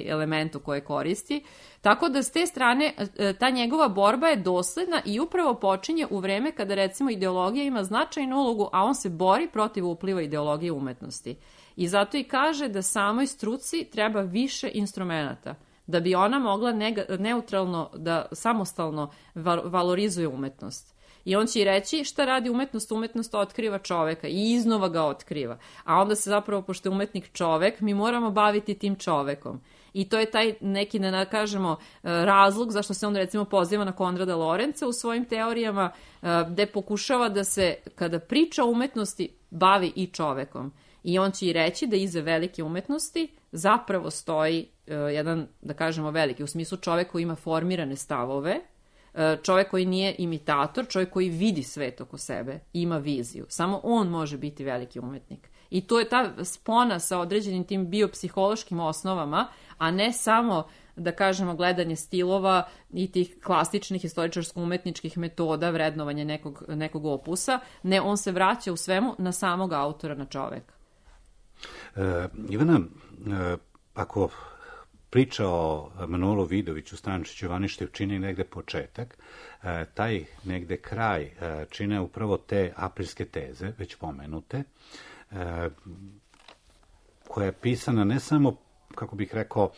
elementu koje koristi. Tako da s te strane ta njegova borba je dosledna i upravo počinje u vreme kada recimo ideologija ima značajnu ulogu, a on se bori protiv upliva ideologije umetnosti. I zato i kaže da samoj struci treba više instrumenata, da bi ona mogla neutralno, da samostalno valorizuje umetnost. I on će i reći šta radi umetnost, umetnost otkriva čoveka i iznova ga otkriva. A onda se zapravo, pošto je umetnik čovek, mi moramo baviti tim čovekom. I to je taj neki, da kažemo, razlog zašto se on recimo poziva na Konrada Lorenca u svojim teorijama, gde pokušava da se, kada priča o umetnosti, bavi i čovekom. I on će i reći da iza velike umetnosti zapravo stoji jedan, da kažemo, veliki, u smislu čovek koji ima formirane stavove, čovjek koji nije imitator, čovjek koji vidi svet oko sebe, ima viziju. Samo on može biti veliki umetnik. I to je ta spona sa određenim tim biopsihološkim osnovama, a ne samo, da kažemo, gledanje stilova i tih klasičnih istoričarsko-umetničkih metoda vrednovanja nekog opusa. Ne, on se vraća u svemu na samog autora, na čoveka. Ivana, ako priča o Manuelu Vidoviću, Stančiću, Vaništu čini negde početak, taj negde kraj čine upravo te aprilske teze, već pomenute, koja je pisana ne samo, kako bih rekao,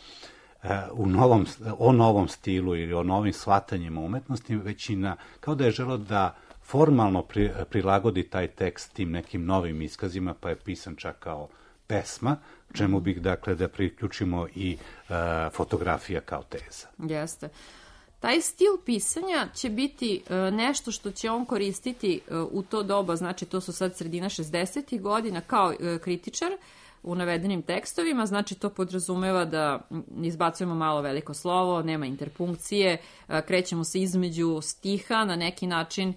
o novom stilu ili o novim shvatanjima umetnosti, već i kao da je želeo da formalno prilagodi taj tekst tim nekim novim iskazima, pa je pisan čak kao pesma, čemu bih, dakle, da priključimo i fotografija kao teza. Jeste. Taj stil pisanja će biti nešto što će on koristiti u to doba, znači to su sad sredina 60. godina kao kritičar u navedenim tekstovima, znači to podrazumeva da izbacujemo malo veliko slovo, nema interpunkcije, krećemo se između stiha na neki način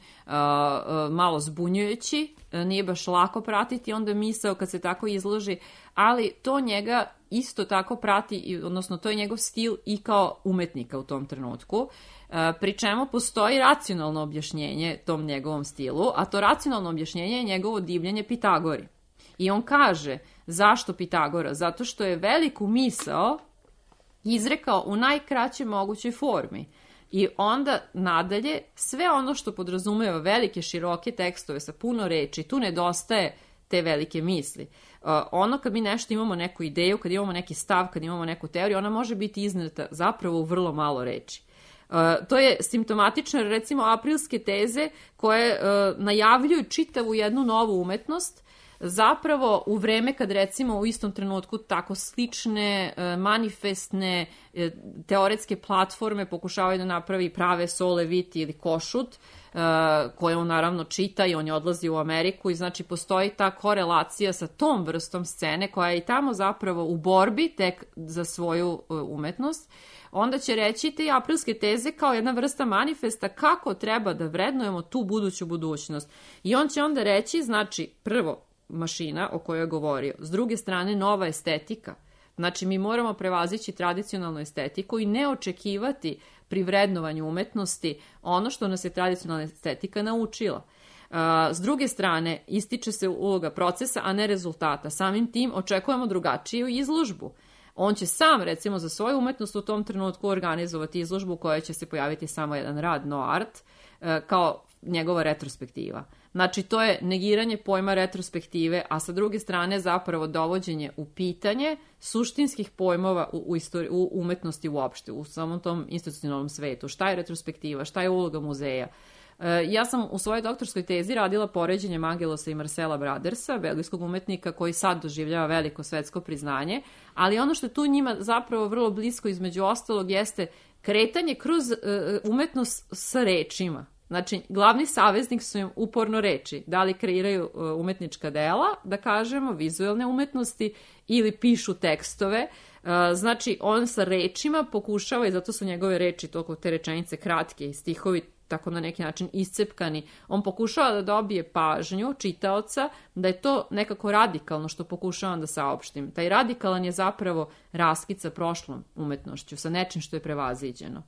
malo zbunjujući, nije baš lako pratiti onda misao kad se tako izloži, ali to njega isto tako prati, odnosno to je njegov stil i kao umetnika u tom trenutku, pri čemu postoji racionalno objašnjenje tom njegovom stilu, a to racionalno objašnjenje je njegovo divljenje Pitagori. I on kaže, zašto Pitagora? Zato što je veliku misao izrekao u najkraćoj mogućoj formi. I onda nadalje, sve ono što podrazumeva velike, široke tekstove sa puno reči, tu nedostaje te velike misli. Ono kad mi nešto imamo neku ideju, kad imamo neki stav, kad imamo neku teoriju, ona može biti izneta zapravo u vrlo malo reči. To je simptomatično, recimo, aprilske teze koje najavljuju čitavu jednu novu umetnost, zapravo u vreme kad recimo u istom trenutku tako slične, manifestne, teoretske platforme pokušavaju da napravi prave Sole Viti ili Košut, koje on naravno čita i on je odlazi u Ameriku i znači postoji ta korelacija sa tom vrstom scene koja je i tamo zapravo u borbi tek za svoju umetnost. Onda će reći te aprilske teze kao jedna vrsta manifesta kako treba da vrednujemo tu buduću budućnost. I on će onda reći, znači, prvo, mašina o kojoj je govorio, s druge strane nova estetika. Znači mi moramo prevazići tradicionalnu estetiku i ne očekivati pri vrednovanju umetnosti ono što nas je tradicionalna estetika naučila. S druge strane, ističe se uloga procesa, a ne rezultata. Samim tim očekujemo drugačiju izložbu. On će sam, recimo, za svoju umetnost u tom trenutku organizovati izložbu u kojoj će se pojaviti samo jedan rad, no art, kao njegova retrospektiva. Znači, to je negiranje pojma retrospektive, a sa druge strane zapravo dovođenje u pitanje suštinskih pojmova u umetnosti uopšte, u samom tom institucionalnom svetu. Šta je retrospektiva, šta je uloga muzeja? Ja sam u svojoj doktorskoj tezi radila poređenje Mangelosa i Marcela Bradersa, belgijskog umetnika koji sad doživljava veliko svetsko priznanje, ali ono što je tu njima zapravo vrlo blisko između ostalog jeste kretanje kroz umetnost sa rečima. Znači, glavni saveznik su im uporno reči. Da li kreiraju umetnička dela, da kažemo, vizuelne umetnosti, ili pišu tekstove. Znači, on sa rečima pokušava, i zato su njegove reči, toliko te rečenice kratke i stihovi tako na neki način iscepkani, on pokušava da dobije pažnju čitaoca, da je to nekako radikalno što pokušavam da saopštim. Taj radikalan je zapravo raskid sa prošlom umetnošću, sa nečim što je prevaziđeno.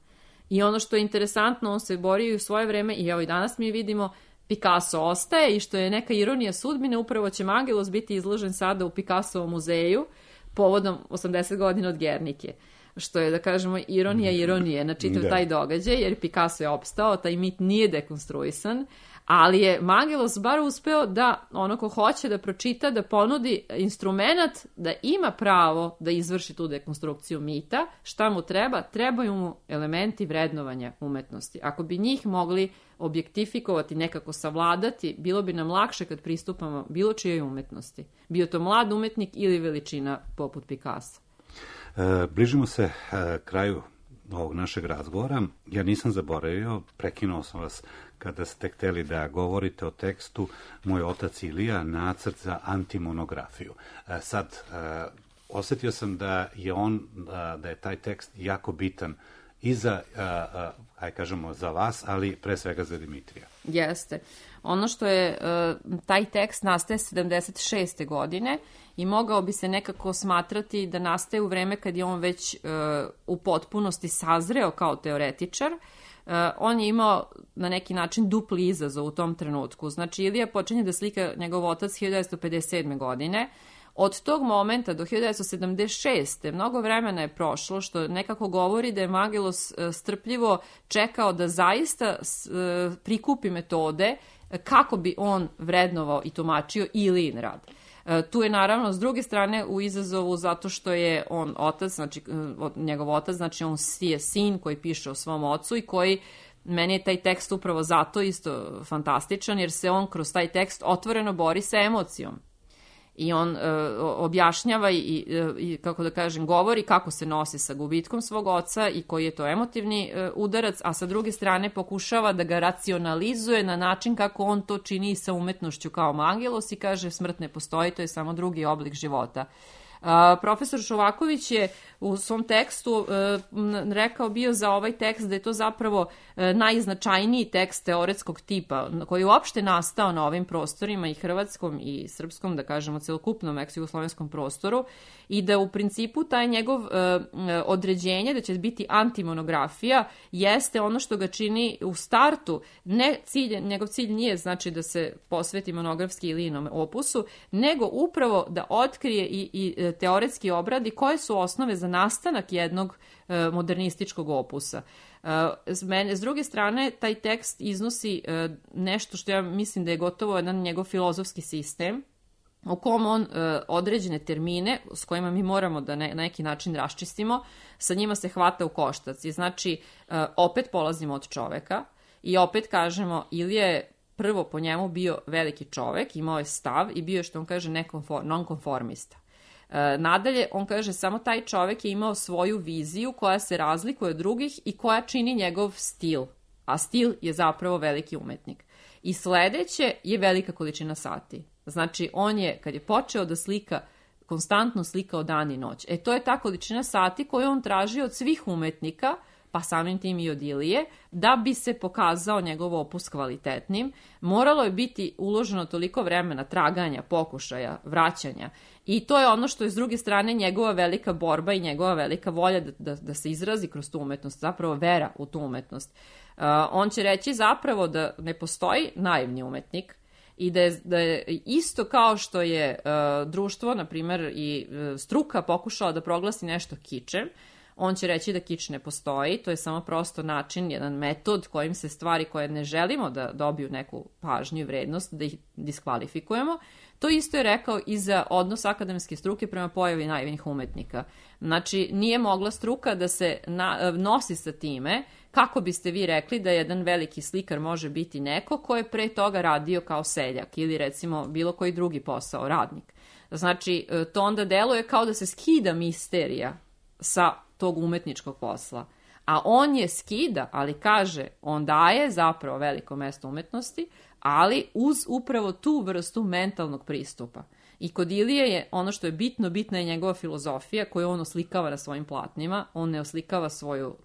I ono što je interesantno, on se borio u svoje vreme i evo i danas mi vidimo Picasso ostaje i što je neka ironija sudbine, upravo će Mangelos biti izložen sada u Picassovom muzeju povodom 80 godina od Gernike. Što je, da kažemo, ironija ironije na čitav taj događaj, jer Picasso je opstao, taj mit nije dekonstruisan, ali je Mangelos bar uspeo da ono ko hoće da pročita, da ponudi instrumenat da ima pravo da izvrši tu dekonstrukciju mita. Šta mu treba? Trebaju mu elementi vrednovanja umetnosti. Ako bi njih mogli objektifikovati, nekako savladati, bilo bi nam lakše kad pristupamo bilo čijoj umetnosti. Bio to mlad umetnik ili veličina poput Picasso. Bližimo se kraju ovog našeg razgovora. Ja nisam zaboravio, prekinuo sam vas kada ste hteli da govorite o tekstu Moj otac Ilija, nacrt za antimonografiju. Sad, osjetio sam da je taj tekst jako bitan i za, kažemo, za vas, ali pre svega za Dimitrija. Jeste. Ono što je, taj tekst nastaje 76. godine i mogao bi se nekako smatrati da nastaje u vreme kad je on već u potpunosti sazreo kao teoretičar. On je imao na neki način dupli izazov u tom trenutku. Znači, Ilija počinje da slika njegov otac 1957. godine. Od tog momenta do 1976. mnogo vremena je prošlo, što nekako govori da je Mangelos strpljivo čekao da zaista prikupi metode kako bi on vrednovao i tumačio Ilijin rad. Tu je naravno s druge strane u izazovu zato što je on otac, znači njegov otac, znači on je sin koji piše o svom ocu i koji, meni je taj tekst upravo zato isto fantastičan, jer se on kroz taj tekst otvoreno bori sa emocijom. I on objašnjava i, kako da kažem, govori kako se nosi sa gubitkom svog oca i koji je to emotivni udarac, a sa druge strane pokušava da ga racionalizuje na način kako on to čini i sa umetnošću kao Mangelos i kaže smrt ne postoji, to je samo drugi oblik života. Profesor Šovaković je u svom tekstu rekao bio za ovaj tekst da je to zapravo najznačajniji tekst teoretskog tipa koji je uopšte nastao na ovim prostorima i hrvatskom i srpskom, da kažemo celokupnom ex-jugoslovenskom prostoru i da u principu taj njegov određenje da će biti antimonografija jeste ono što ga čini u startu, njegov cilj nije znači da se posveti monografski Ilijinom opusu, nego upravo da otkrije i teoretski obradi koje su osnove za nastanak jednog modernističkog opusa. S druge strane, taj tekst iznosi nešto što ja mislim da je gotovo jedan njegov filozofski sistem u kom on određene termine s kojima mi moramo da na neki način raščistimo, sa njima se hvata u koštac. I znači, opet polazimo od čoveka i opet kažemo, Ilija je prvo po njemu bio veliki čovek, imao je stav i bio je, što on kaže, nonkonformista. Nadalje, on kaže, samo taj čovek je imao svoju viziju koja se razlikuje od drugih i koja čini njegov stil, a stil je zapravo veliki umetnik. I sledeće je velika količina sati. Znači, on je, kad je počeo da slika, konstantno slikao dan i noć. To je ta količina sati koju on traži od svih umetnika, pa samim tim i od Ilije, da bi se pokazao njegov opus kvalitetnim. Moralo je biti uloženo toliko vremena traganja, pokušaja, vraćanja. I to je ono što je s druge strane njegova velika borba i njegova velika volja da se izrazi kroz tu umetnost, zapravo vera u tu umetnost. On će reći zapravo da ne postoji naivni umetnik i da je isto kao što je društvo, na primjer, i struka pokušala da proglasi nešto kičem, on će reći da kič ne postoji, to je samo prosto način, jedan metod kojim se stvari koje ne želimo da dobiju neku pažnju i vrednost, da ih diskvalifikujemo. To isto je rekao i za odnos akademske struke prema pojavi naivnih umetnika. Znači, nije mogla struka da se nosi sa time, kako biste vi rekli da jedan veliki slikar može biti neko ko je pre toga radio kao seljak ili recimo bilo koji drugi posao, radnik. Znači, to onda deluje kao da se skida misterija sa tog umetničkog posla. A on je skida, ali kaže, on daje zapravo veliko mesto umetnosti, ali uz upravo tu vrstu mentalnog pristupa. I kod Ilije je ono što je bitno, bitna je njegova filozofija koju on oslikava na svojim platnima, on ne oslikava svoju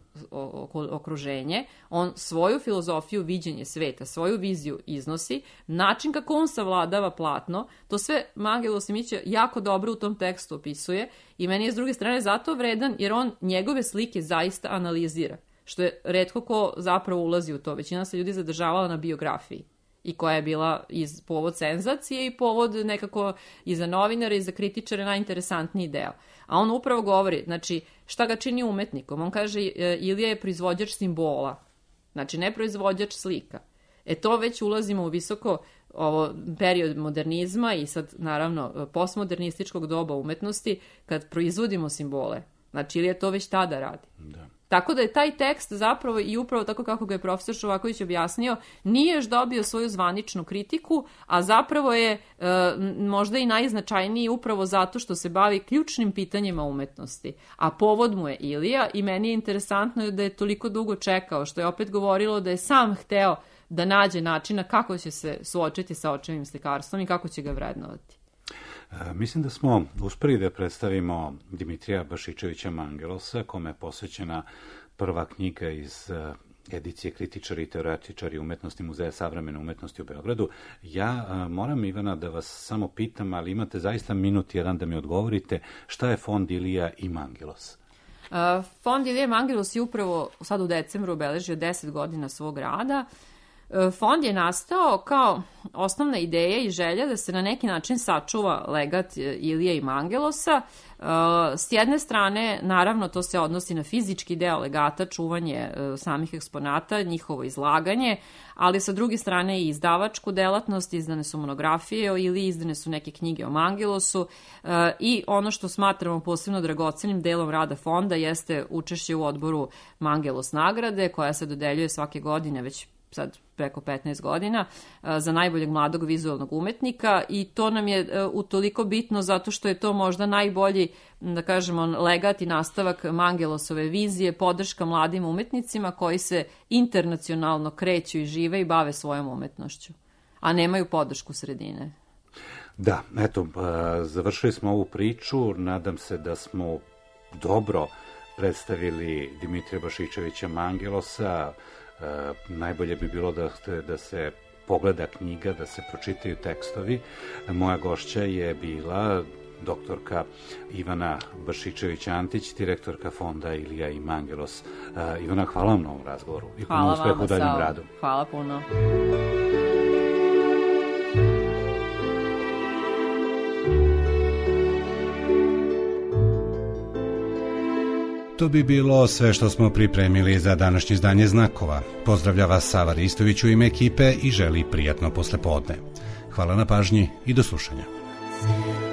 okruženje, on svoju filozofiju, viđenje sveta, svoju viziju iznosi, način kako on savladava platno, to sve Mangelo Simića jako dobro u tom tekstu opisuje i meni je s druge strane zato vredan jer on njegove slike zaista analizira, što je retko ko zapravo ulazi u to, većina se ljudi zadržavala na biografiji i koja je bila povod senzacije i povod nekako i za novinare i za kritičare najinteresantniji deo. A on upravo govori, znači, šta ga čini umetnikom? On kaže, Ilija je proizvođač simbola, znači ne proizvođač slika. To već ulazimo u visoko period modernizma i sad, naravno, postmodernističkog doba umetnosti, kad proizvodimo simbole. Znači, Ilija to već tada radi. Da. Tako da je taj tekst zapravo i upravo tako kako ga je profesor Šovaković objasnio, nije još dobio svoju zvaničnu kritiku, a zapravo je možda i najznačajniji upravo zato što se bavi ključnim pitanjima umetnosti. A povod mu je Ilija i meni je interesantno da je toliko dugo čekao, što je opet govorilo da je sam hteo da nađe načina kako će se suočiti sa očevim slikarstvom i kako će ga vrednovati. Mislim da smo uspeli da predstavimo Dimitrija Bašičevića Mangelosa, kome je posvećena prva knjiga iz edicije Kritičari i teoretičari umetnosti Muzeja savremene umetnosti u Beogradu. Ja moram, Ivana, da vas samo pitam, ali imate zaista minut jedan da mi odgovorite, šta je Fond Ilija i Mangelos? Fond Ilija i Mangelos je upravo sad u decembru obeležio 10 godina svog rada. Fond je nastao kao osnovna ideja i želja da se na neki način sačuva legat Ilije i Mangelosa. S jedne strane, naravno, to se odnosi na fizički deo legata, čuvanje samih eksponata, njihovo izlaganje, ali sa druge strane i izdavačku delatnost, izdane su monografije o Iliji, izdane su neke knjige o Mangelosu i ono što smatramo posebno dragocenim delom rada fonda jeste učešće u odboru Mangelos nagrade, koja se dodeljuje svake godine već sad preko 15 godina, za najboljeg mladog vizualnog umetnika i to nam je utoliko bitno zato što je to možda najbolji, da kažemo, legat i nastavak Mangelosove vizije, podrška mladim umetnicima koji se internacionalno kreću i žive i bave svojom umetnošću, a nemaju podršku sredine. Da, eto, završili smo ovu priču, nadam se da smo dobro predstavili Dimitrija Bašičevića Mangelosa. Najbolje bi bilo da se pogleda knjiga, da se pročitaju tekstovi. Moja gošća je bila doktorka Ivana Bašičević-Antić, direktorka Fonda Ilija i Mangelos. Ivana, hvala vam na ovom razgovoru i puno uspeha u daljem radu. Hvala puno. To bi bilo sve što smo pripremili za današnje izdanje Znakova. Pozdravlja vas Sava Ristović u ime ekipe i želi prijatno poslepodne. Hvala na pažnji i do slušanja. ser.